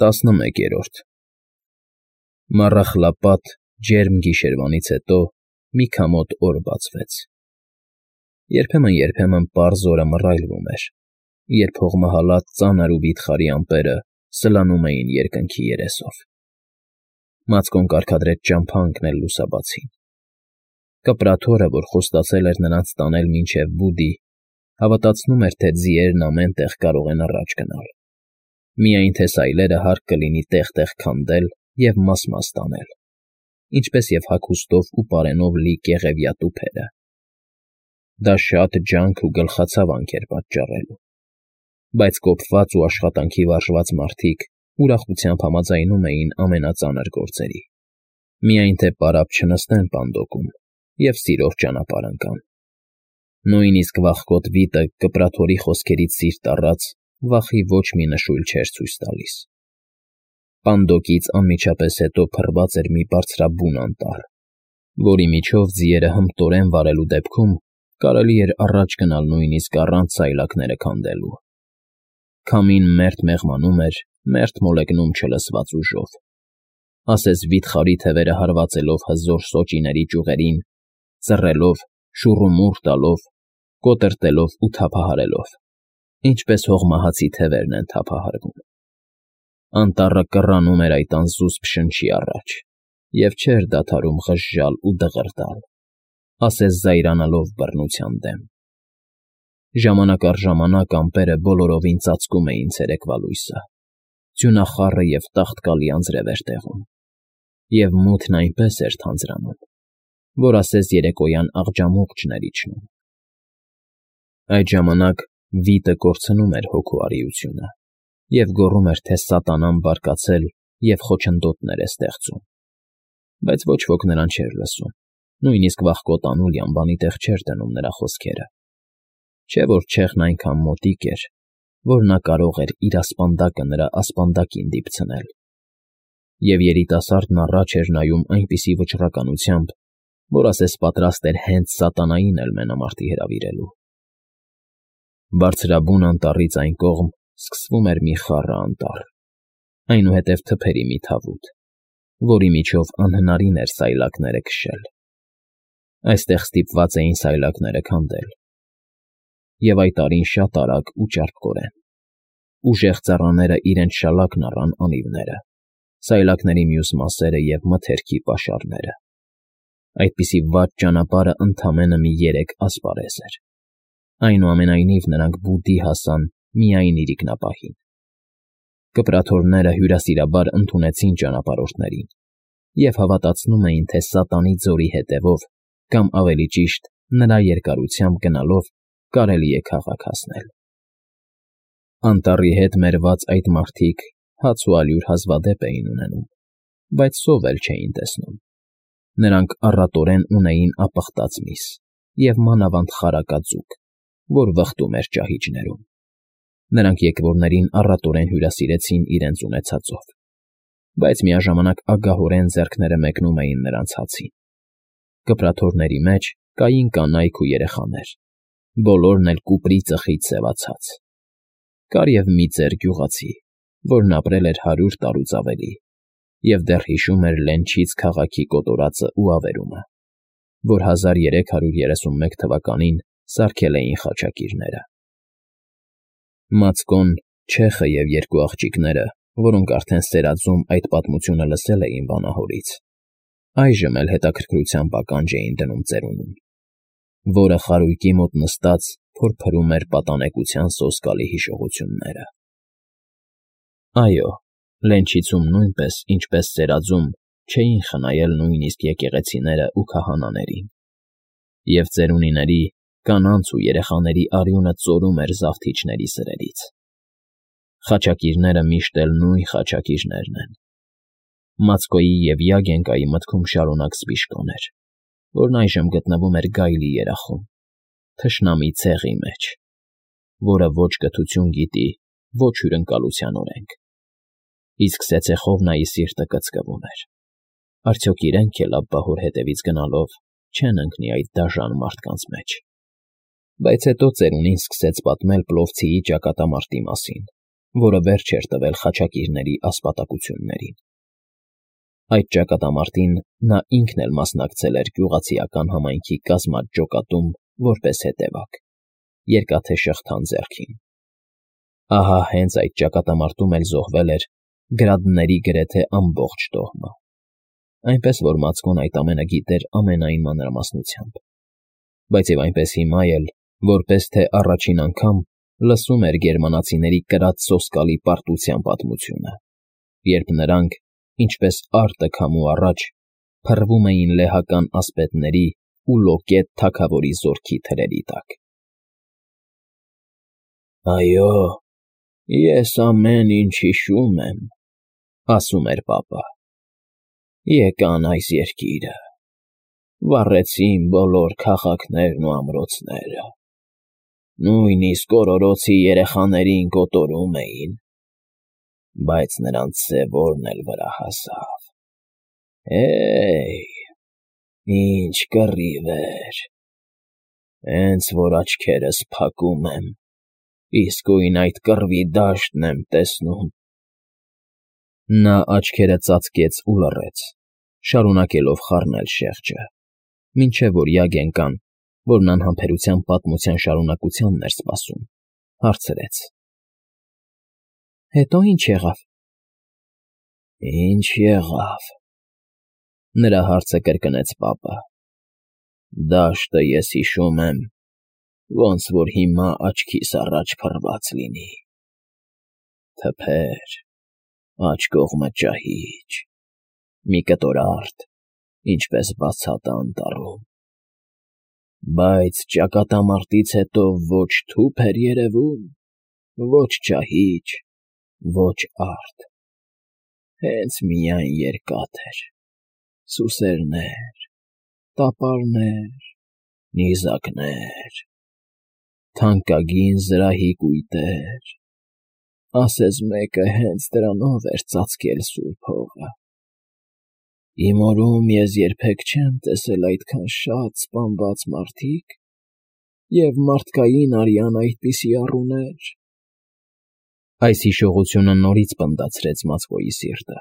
11-րդ Մառախլապատ, ջերմ գիշերվանից հետո մի քամոտ օր բացվեց։ Երբեմն պարզ օրը մռայլվում էր, երբ հողմահալած ծանր ու վիթխարի ամպերը սլանում էին երկնքի երեսով։ Մացկոն կարգադրեց ճամփա ընկնել լուսաբացին։ Կպրատ հորը, որ խոստացել էր նրանց տանել մինչև բուդի, հավատացնում էր, թե ձիերն ամեն տեղ կարող են առաջ գնալ, միայն թե սայլերը հարկ կլինի տեղ֊տեղ քանդել և մաս֊մաս տանել, ինչպես և հագուստով ու պարենով լի կեղևյա տուփերը։ Դա շատ ջանք ու գլխացավանք էր պատճառելու, բայց կոփված ու աշխատանքի վարժված մարդիկ ուրախությամբ համաձայնում էին ամենածանր գործերի, միայն թե պարապ չնստեն պանդոկում և սիրով ճանապարհ ընկան։ Նույնիսկ վախկոտ վիտը կպրաթորի խոսքերից սիրտ առած վախի ոչ մի նշույլ չէր ցույց տալիս։ Պանդոկից անմիջապես հետո փռված էր մի բարձրաբուն անտառ, որի միջով ձիերը հմտորեն վարելու դեպքում կարելի էր առաջ գնալ նույնիսկ առանց սայլակները քանդելու։ Քամին մերթ մեղմանում էր, մերթ մոլեգնում չլսված ուժով, ասես վիթխարի թևերը հարվածելով հզոր սոճիների ճյուղերին, ծռելով, շուռումուռ տալով, կոտրտելով ու թափահարելով, ինչպես հողմահացի թևերն են թափահարվում։ Անտառը կռանում էր այդ անզուսպ շնչի առաջ և չէր դադարում ղժժալ ու դղրդալ, ասես զայրանալով բռնության դեմ։ Ժամանակ առ ժամանակ ամպերը բոլորովին ծածկում էին ցերեկվա լույսը, ձյունախառը և տաղտկալի անձրև էր տեղում, և մութն այնպես էր թանձրանում, որ ասես երեկոյան աղջամուղ չներ իջնում։ Այդ ժամանակ վիտը կորցնում էր հոգու արիությունը և գոռում էր, թե սատանան բարկացել և խոչընդոտներ է ստեղծում, բայց ոչ ոք նրան չէր լսում, նույնիսկ վախկոտ Անուլյան բանի տեղ չէր դնում նրա խոսքերը, չէ՞ որ չեղն այնքան մոտիկ էր, որ նա կարող էր իր ասպանդակը նրա ասպանդակին դիպցնել, և երիտասարդն առաջ էր նայում այնպիսի վճռականությամբ, որ ասես պատրաստ էր հենց սատանային էլ մենամարտի հրավիրելու։ Բարձրաբուն անտառից այն կողմ սկսվում էր մի խառը անտառ, այնուհետև թփերի մի թավուտ, որի միջով անհնարին էր սայլակները քշել։ Այստեղ ստիպված էին սայլակները քանդել, և այդ արին շատ արագ ու ճարպկորեն։ Ուժեղ ծառաները իրենց շալակն առան անիվները, սայլակների մյուս մասերը և մթերքի պաշարները։ Այդպիսի վատ ճանապարհը ընդամենը մի 3 ասպարեզ էր։ Այնուամենայնիվ նրանք բուդի հասան միայն իրիկնապահին։ Կպրաթորները հյուրասիրաբար ընդունեցին ճանապարհորդներին և հավատացնում էին, թե սատանի ձորի հետևով, կամ ավելի ճիշտ, նրա երկարությամբ գնալով կարելի է քաղաք հասնել։ Անտառի հետ մերված այդ մարդիկ հաց ու ալյուր հազվադեպ էին ունենում, բայց սով էլ չէին տեսնում։ Նրանք առատորեն ունեին ապխտած միս և մանավանդ խարակաձուկ, որ վխտում էր ճահիճներում։ Նրանք եկվորներին առատորեն հյուրասիրեցին իրենց ունեցածով, բայց միաժամանակ ագահորեն ձեռքները մեկնում էին նրանց հացին։ Կպրաթորների մեջ կային կանայք ու երեխաներ, բոլորն էլ կուպրի ծխից սևացած։ Կար և մի ծեր գյուղացի, որն ապրել էր 100 տարուց ավելի և դեռ հիշում էր Լենչից քաղաքի կոտորածը ու ավերումը, որ 1331 թվականին սարքել էին խաչակիրները։ Մացկոն, Չեխը և 2 աղջիկները, որոնք արդեն սերածում այդ պատմությունը լսել էին վանահորից, այժմ էլ հետաքրքրությամբ ականջ էին դնում ծերունուն, որը խարույկի մոտ նստած փորփրում էր պատանեկության սոսկալի հիշողությունները։ Այո, Լենչիցում նույնպես, ինչպես սերածում, չէին խնայել նույնիսկ եկեղեցիները ու քահանաներին, և ծերունիների, կանանց ու երեխաների արյունը ծորում էր զավթիչների սրերից։ Խաչակիրները միշտ էլ նույն խաչակիրներն են։ Մացկոյի և Յագենկայի մտքում շարունակ սպիշկոն էր, որն այժմ գտնվում էր գայլի երախում, թշնամի ցեղի մեջ, որը ոչ կթություն գիտի, ոչ հյուրընկալության օրենք։ Իսկ Սեցեխովնայի սիրտը կծկվում էր. արդյոք իրենք էլ Աբբահոր հետևից գնալով չեն ընկնի այդ դաժան մարդկանց մեջ։ Բայց հետո ծերունին սկսեց պատմել Պլովցիի ճակատամարտի մասին, որը վերջ էր տվել խաչակիրների ասպատակություններին։ Այդ ճակատամարտին նա ինքն էլ մասնակցել էր գյուղացիական համայնքի կազմած ջոկատում որպես հետևակ, երկաթե շղթան ձեռքին։ Ահա հենց այդ ճակատամարտում էլ զոհվել էր գրադների գրեթե ամբողջ տոհմը, այնպես որ Մացկոն այդ ամենը գիտեր ամենայն մանրամասնությամբ, բայց և այնպես հիմա էլ, որպես թե առաջին անգամ լսում էր գերմանացիների կրած սոսկալի պարտության պատմությունը, երբ նրանք, ինչպես արտը քամու առաջ, փռվում էին լեհական ասպետների ու լոկետ թագավորի զորքի թրերի տակ։ «Այո, ես ամեն ինչ հիշում եմ,֊ ասում էր պապը։ Եկան այս երկիրը, վառեցին բոլոր քաղաքներն ու ամրոցները, նույնիսկ օրորոցի երեխաներին կոտորում էին, բայց նրանց սևորն էլ վրա հասավ։ Ինչ կռիվ էր… Հենց որ աչքերս փակում եմ, իսկույն այդ կռվի դաշտն եմ տեսնում»։ Նա աչքերը ծածկեց ու լռեց, շարունակելով խառնել շեղջը, մինչև որ Յագենկան, որն անհամբերությամբ պատմության շարունակությանն էր սպասում, հարցրեց. «Հետո ի՞նչ եղավ»։ «Ինչ եղավ,֊ նրա հարցը կրկնեց պապը,֊ դաշտը ես հիշում եմ, ոնց որ հիմա աչքիս առաջ փռված լինի. թփեր, աջ կողմը ճահիճ, մի կտոր արդ, ինչպես բացատը անտառում, բայց ճակատամարտից հետո ոչ թուփ էր երևում, ոչ ճահիճ, ոչ արդ, հենց միայն երկաթ էր, սուսերներ, տապարներ, նիզակներ, թանկագին զրահի կույտեր, ասես մեկը հենց դրանով էր ծածկել սուրբ հողը։ Իմ օրում ես երբեք չեմ տեսել այդքան շատ սպանված մարդիկ և մարդկային արյան այդպիսի առուներ»։ Այս հիշողությունը նորից պնդացրեց Մացկոյի սիրտը,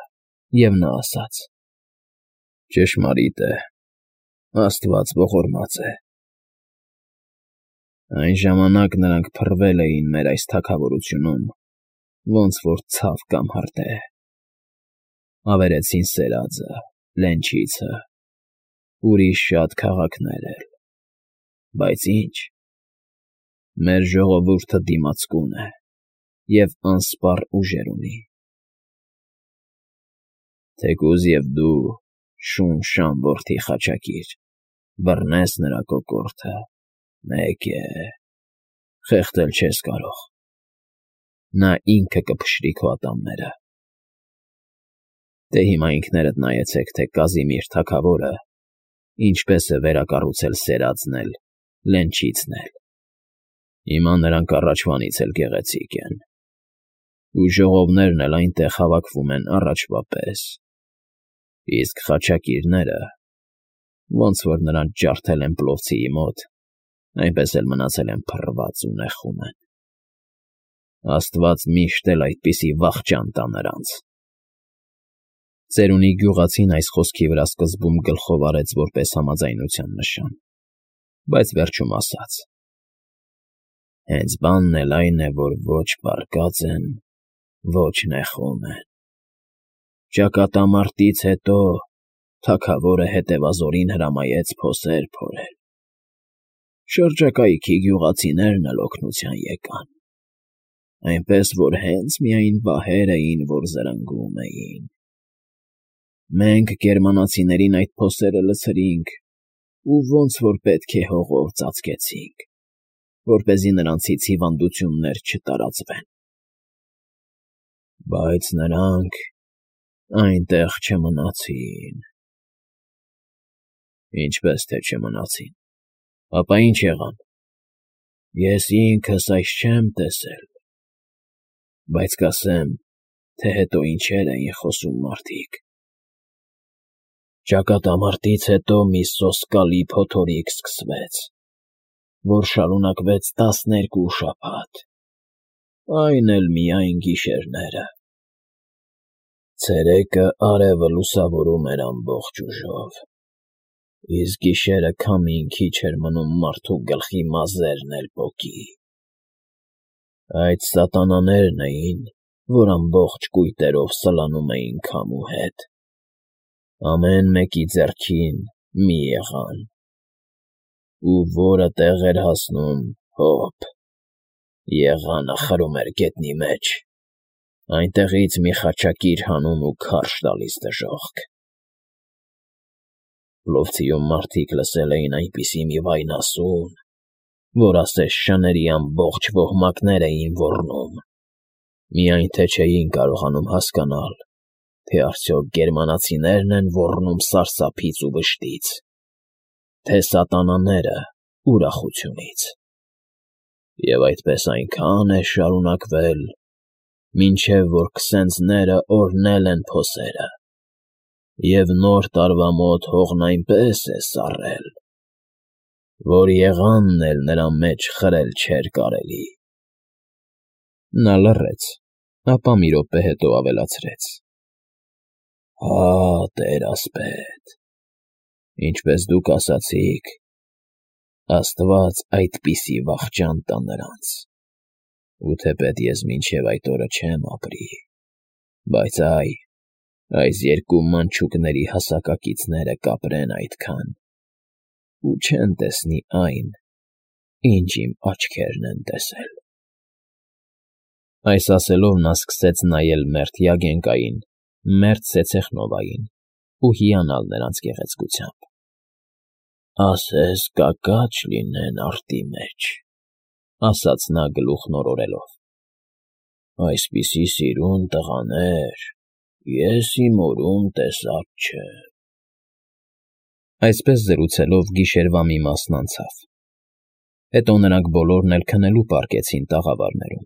և նա ասաց. «Ճշմարիտ է, աստված ողորմած է։ Այն ժամանակ նրանք փռվել էին մեր այս թագավորությունում, ոնց որ ցավ կամ հրդեհ, ավերեցին Սերաձը, Լենչիցը, ուրիշ շատ քաղաքներ էլ, բայց ինչ… Մեր ժողովուրդը դիմացկուն է և անսպառ ուժեր ունի։ Թեկուզ և դու, Շուն-Շան որդի խաչակիր, բռնես նրա կոկորդը, մեկ է, խեղդել չես կարող, նա ինքը կփշրի քո ատամները։ Դե հիմա ինքներդ նայեցեք, թե Կազիմիր թագավորը ինչպես է վերակառուցել Սերածն էլ, Լենչիցն էլ։ Հիմա նրանք առաջվանից էլ գեղեցիկ են, ու ժողովներն էլ այնտեղ հավաքվում են առաջվա պես, իսկ խաչակիրները, ոնց որ նրանց ջարդել են Պլովցիի մոտ, այնպես էլ մնացել են փռված ու նեխում են։ Աստված միշտ էլ այդպիսի վախճան տա նրանց»։ Ծերունի գյուղացին այս խոսքի վրա սկզբում գլխով արեց որպես համաձայնության նշան, բայց վերջում ասաց. «Հենց բանն էլ այն է, որ ոչ պառկած են, ոչ նեխում են։ Ճակատամարտից հետո թագավորը հետևազորին հրամայեց փոսեր փորել։ Շրջակայքի գյուղացիներն էլ օգնության եկան, այնպես որ հենց միայն վահեր էին, որ զրնգում էին։ Մենք գերմանացիներին այդ փոսերը լցրինք ու ոնց որ պետք է հողով ծածկեցինք, որպեսզի նրանցից հիվանդություններ չտարածվեն։ Բայց նրանք այնտեղ չմնացին»։ «Ինչպես թե չմնացին, ապա ինչ եղան»։ «Ես ինքս այս չեմ տեսել, բայց կասեմ, թե հետո ինչեր էին խոսում մարդիկ։ Ճակատամարտից հետո մի սոսկալի փոթորիկ սկսվեց, որ շարունակվեց 12 շաբաթ, Այն էլ միայն գիշերները։ Ցերեկը արևը լուսավորում էր ամբողջ ուժով, իսկ գիշերը քամին քիչ էր մնում մարդու գլխի մազերն էլ պոկի։ Այդ սատանաներն էին, որ ամբողջ կույտերով սլանում էին քամու հետ, ամեն մեկի ձեռքին մի եղան, ու որը տեղ էր հասնում, հոպ, եղանը խրում էր գետնի մեջ, այնտեղից մի խաչակիր հանում ու քարշ տալիս դժոխք։ Պլովցիում մարդիկ լսել էին այնպիսի մի վայնասուն, որ ասես շների ամբողջ ոհմակներ էին ոռնում, միայն թե չէին կարողանում հասկանալ, թե արդյոք գերմանացիներն են ոռնում սարսափից ու վշտից, թե սատանաները ուրախությունից։ Եվ այդպես այնքան է շարունակվել, մինչև որ քսենձները օրհնել են փոսերը, և նոր տարվա մոտ հողն այնպես է սառել, որ եղանն էլ նրա մեջ խրել չէր կարելի։ Նա լռեց, ապա մի րոպե հետո ավելացրեց. Հա, տեր-ասպետ, ինչպես դուք ասացիք, Աստված այդպիսի վախճան տա նրանց, ու թեպետ ես մինչև այդ օրը չեմ ապրի, բայց այս երկու մանչուկների հասակակիցները կապրեն այդքան, ու չեն տեսնի այն, ինչ իմ աչքերն են տեսել։ Այս ասելով նա սկսեց նայել մերթ Յագենկային, մերթ Սեցեխնովային ու հիանալ նրանց գեղեցկությամբ։ Ասես կակաչ լինեն արտի մեջ, ասաց նա գլուխն օրորելով։ Այսպիսի սիրուն տղաներ ես իմ օրում տեսած չեմ։ Այսպես զրուցելով գիշերվա մի մասն անցավ։ Հետո նրանք բոլորն էլ քնելու պառկեցին տաղավարներում,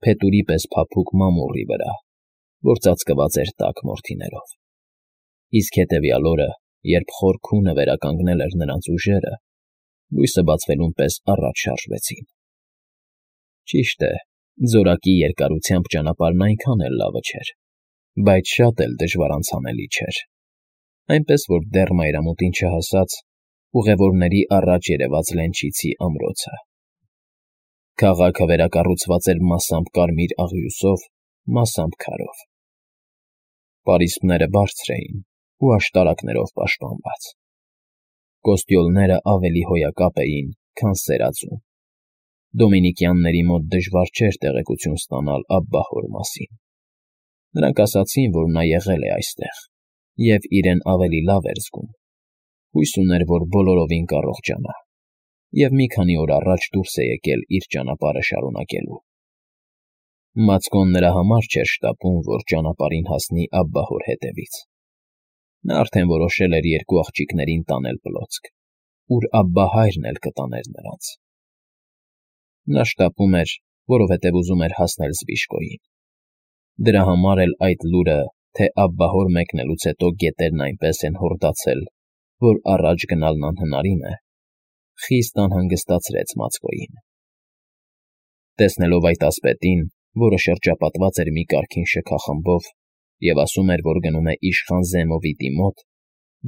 փետուրի պես փափուկ մամուռի վրա, որ ծածկված էր տաք մորթիներով։ Իսկ հետևյալ օրը, երբ խոր քունը վերականգնել էր նրանց ուժերը, լույսը բացվելուն պես առաջ շարժվեցին։ Ճիշտ է, ձորակի երկարությամբ ճանապարհն այնքան էլ լավը չէր, բայց շատ էլ դժվար անցանելի չէր, այնպես որ դեռ մայրամուտին չհասած, ուղևորների առաջ երևաց Լենչիցի ամրոցը։ Քաղաքը վերակառուցված էր մասամբ կարմիր աղյուսով, մասամբ քարով։ Պարիսպները բարձր էին ու աշտարակներով պաշտպանված։ Կոստյոլները ավելի հոյակապ էին, քան սերածու։ Դոմինիկյանների մոտ դժվար չէր տեղեկություն ստանալ Աբբահոր մասին։ Նրանք ասացին, որ նա եղել է այստեղ և իրեն ավելի լավ էր զգում, հույս ուներ, որ բոլորովին կառողջանա, և մի քանի օր առաջ դուրս է եկել իր ճանապարհը շարունակելու։ Մացկոն նրա համար չէր շտապում, որ ճանապարհին հասնի Աբբահոր հետևից։ Նա արդեն որոշել էր երկու աղջիկներին տանել Պլոցք, ուր Աբբահայրն էլ կտաներ նրանց։ Նա շտապում էր, որովհետև ուզում էր հասնել Զվիշկոյին։ Դրա համար էլ այդ լուրը, թե Աբբահոր մեկնելուց հետո գետերն այնպես են հորդացել, որ առաջ գնալն անհնարին է, խիստ անհանգստացրեց Մացկոյին։ Տեսնելով այդ ասպետին, որը շրջապատված էր մի կարգին շքախմբով և ասում էր, որ գնում է իշխան Զեմովիտի մոտ,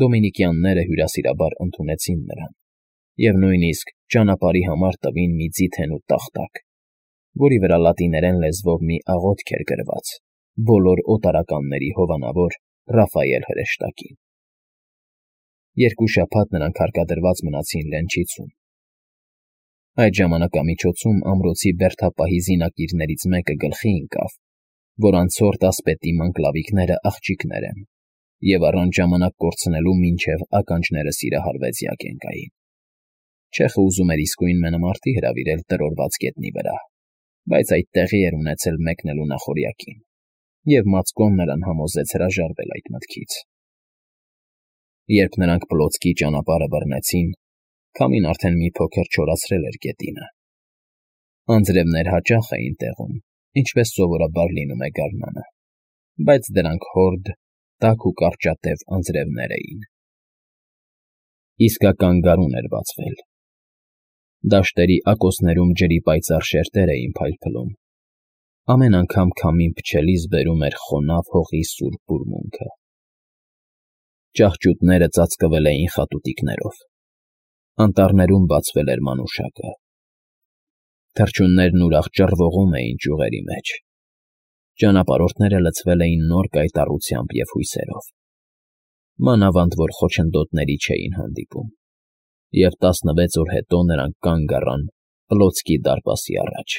դոմինիկյանները հյուրասիրաբար ընդունեցին նրան և նույնիսկ ճանապարհի համար տվին մի ձիթեն ու տախտակ, որի վրա լատիներեն լեզվով մի աղոթք էր գրված բոլոր օտարականների հովանավոր Ռաֆայել հրեշտակին։ Երկու շաբաթ նրանք հարկադրված մնացին Լենչիցում։ Այդ ժամանակամիջոցում ամրոցի բերդապահի զինակիրներից մեկը գլխի ընկավ, որ անցորդ ասպետի մանկլավիկները աղջիկներ են, և առանց ժամանակ կորցնելու մինչև ականջները սիրահարվեց Յագենկային։ Չեխը ուզում էր իսկույն մենամարտի հրավիրել տրորված գետնի վրա, բայց այդ տեղի էր ունեցել մեկնելու նախօրյակին, և Մացկոն նրան համոզեց հրաժարվել այդ մտքից։ Երբ նրանք Պլոցկի ճանապարհը բռնեցին, քամին արդեն մի փոքր չորացրել էր գետինը։ Անձրևներ հաճախ էին տեղում, ինչպես սովորաբար լինում է գարնանը, բայց դրանք հորդ, տաք ու կարճատև անձրևներ էին։ Իսկական գարուն էր բացվել։ Դաշտերի ակոսներում ջրի պայծառ շերտեր էին փայլփլում, ամեն անգամ քամին փչելիս բերում էր խոնավ հողի սուր բուրմունքը։ Ճահճուտները ծածկվել էին խատուտիկներով, անտառներում բացվել էր մանուշակը։ Թռչուններն ուրախ ճռվողում էին ճյուղերի մեջ, ճանապարհորդները լցվել էին նոր կայտառությամբ և հույսերով, մանավանդ որ խոչընդոտների չէին հանդիպում, և 16 օր հետո նրանք կանգ առան Պլոտսկի դարպասի առաջ։